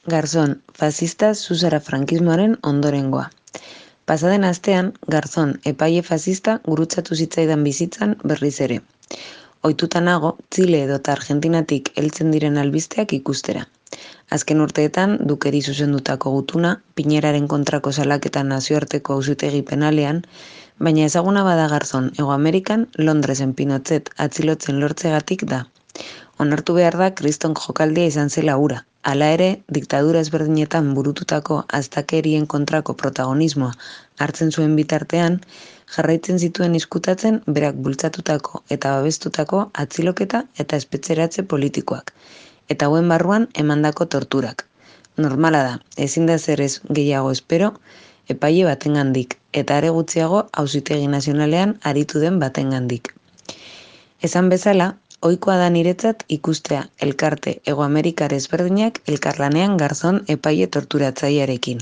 Garzón, fascista zuzara frankismoaren ondorengoa. Pasaden astean, Garzón epaile fascista gurutzatu zitzaidan bizitzan berriz ere. Ohituta nago, Txile edota Argentinatik heltzen diren albisteak ikustera. Azken urteetan, Dukeri zuzendutako gutuna, Piñeraren kontrako salaketan nazioarteko auzitegi penalean, baina ezaguna bada Garzón Hego Amerikan, Londresen Pinochet atzilotzen lortzegatik da. Onartu behar da kriston jokaldia izan zela hura. Hala ere, diktadura ezberdinetan burututako astakerien kontrako protagonismoa hartzen zuen bitartean, jarraitzen zituen izkutatzen berak bultzatutako eta babestutako atziloketa eta espetxeratze politikoak, eta hauen barruan emandako torturak. Normala da, ezin da zer ez gehiago espero, epaile batengandik, eta are gutxiago Auzitegi Nazionalean aritu den batengandik. Esan bezala, ohikoa da niretzat ikustea elkarte Hego Amerikar ezberdinak elkarlanean Garzón epaile torturatzailearekin.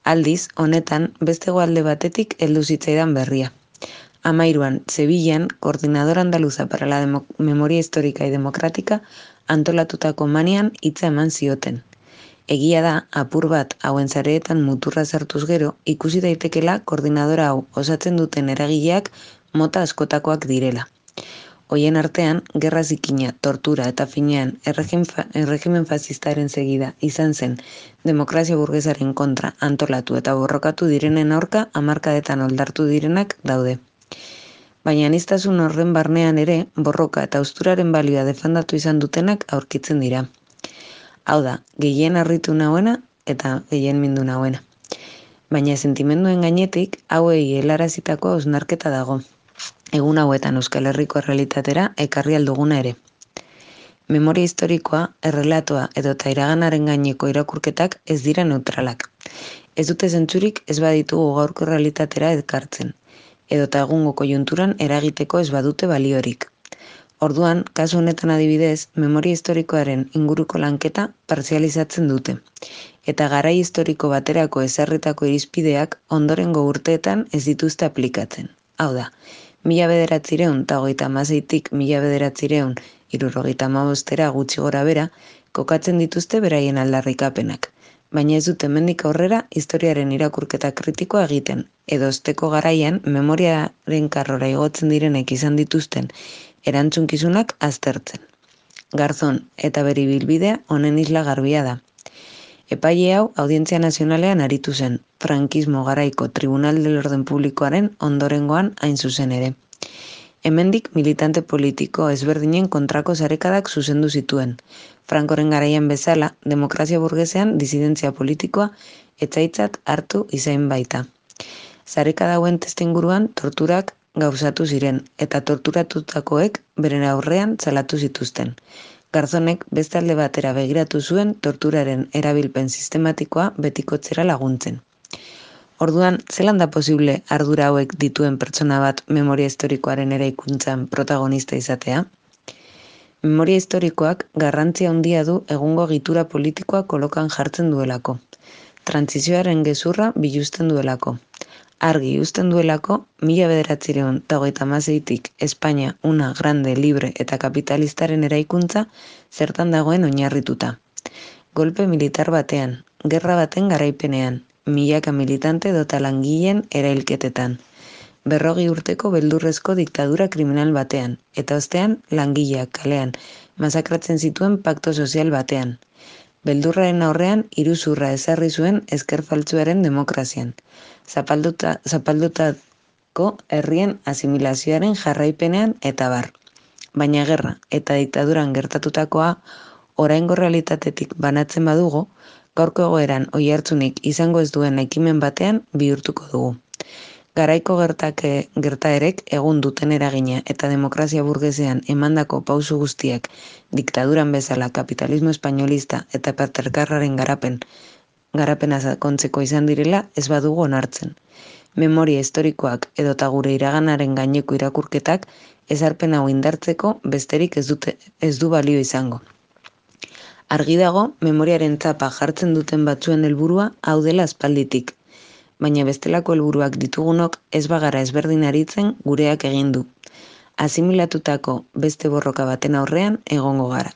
Aldiz, honetan, beste alde batetik heldu zitzaidan berria. 13an, Sevillan, Coordinadora Andaluza para la Memoria Histórica y Democrática antolatutako manian hitza eman zioten. Egia da, apur bat hauen sareetan muturra sartuz gero, ikusi daitekela koordinadora hau osatzen duten eragileak mota askotakoak direla. Hoien artean, gerra zikina, tortura eta finean erregimen fascistaren segida izan zen demokrazia burgesaren kontra antolatu eta borrokatu direnen aurka hamarkadetan oldartu direnak daude. Baina aniztasun horren barnean ere, borroka eta hausturaren balioa defendatu izan dutenak aurkitzen dira. Hau da, gehien harritu nauena eta gehien mindu nauena. Baina sentimenduen gainetik, hauei helarazitako hausnarketa dago. Egun hauetan Euskal Herriko errealitatera ekarri alduguna ere. Memoria historikoa, errelatoa edota iraganaren gaineko irakurketak ez dira neutralak. Ez dute zentzurik ez baditugu gaurko errealitatera ekartzen, edota egungo koiunturan eragiteko ez badute baliorik. Orduan, kasu honetan adibidez, memoria historikoaren inguruko lanketa partzializatzen dute, eta garai historiko baterako ezarritako irizpideak ondorengo urteetan ez dituzte aplikatzen. Hau da, 1936tik 1975 gutxi gora bera, kokatzen dituzte beraien aldarrikapenak, baina ez dute hemendik aurrera historiaren irakurketa kritikoa egiten, edo osteko garaian memoriaren karrora igotzen direnek izan dituzten erantzunkizunak aztertzen. Garzón eta bere ibilbidea honen isla garbia da. Epaile hau Audientzia Nazionalean aritu zen, frankismo garaiko Tribunal del Orden Publikoaren ondorengoan hain zuzen ere. Hemendik militante politiko ezberdinen kontrako sarekadak zuzendu zituen. Frankoren garaian bezala, demokrazia burgesean disidentzia politikoa etzaitzat hartu izain baita. Sarekada hauen testuinguruan torturak gauzatu ziren, eta torturatutakoek beren aurrean salatu zituzten. Garzonek beste alde batera begiratu zuen torturaren erabilpen sistematikoa betikotzera laguntzen. Orduan, zelan da posible ardura hauek dituen pertsona bat memoria historikoaren eraikuntzan protagonista izatea? Memoria historikoak garrantzia handia du egungo egitura politikoa kolokan jartzen duelako. Trantsizioaren gezurra biluzten duelako. Argi uzten duelako, 1936tik Espainia una grande, libre eta kapitalistaren eraikuntza zertan dagoen oinarrituta. Golpe militar batean, gerra baten garaipenean, milaka militante edota langileen erailketetan. 40 urteko beldurrezko diktadura kriminal batean, eta ostean langileak kalean masakratzen zituen pakto sozial batean. Beldurraren aurrean iruzurra ezarri zuen ezker faltsuaren demokrazian. Zapaldutako herrien asimilazioaren jarraipenean eta bar. Baina gerra eta diktaduran gertatutakoa oraingo realitatetik banatzen badugu, gaurko egoeran oihartzunik izango ez duen ekimen batean bihurtuko dugu. Garaiko gertaerek egun duten eragina eta demokrazia burgesean emandako pausu guztiak diktaduran bezala kapitalismo espainolista eta patriarkarraren garapena sakontzeko izan direla ez badugu onartzen. Memoria historikoak edota gure iraganaren gaineko irakurketak ezarpen hau indartzeko besterik ez du balio izango. Argi dago, memoriaren txapa jartzen duten batzuen helburua hau dela aspalditik, baina bestelako helburuak ditugunok ez bagara ezberdin aritzen gureak egin du. Asimilatutako beste borroka baten aurrean egongo gara.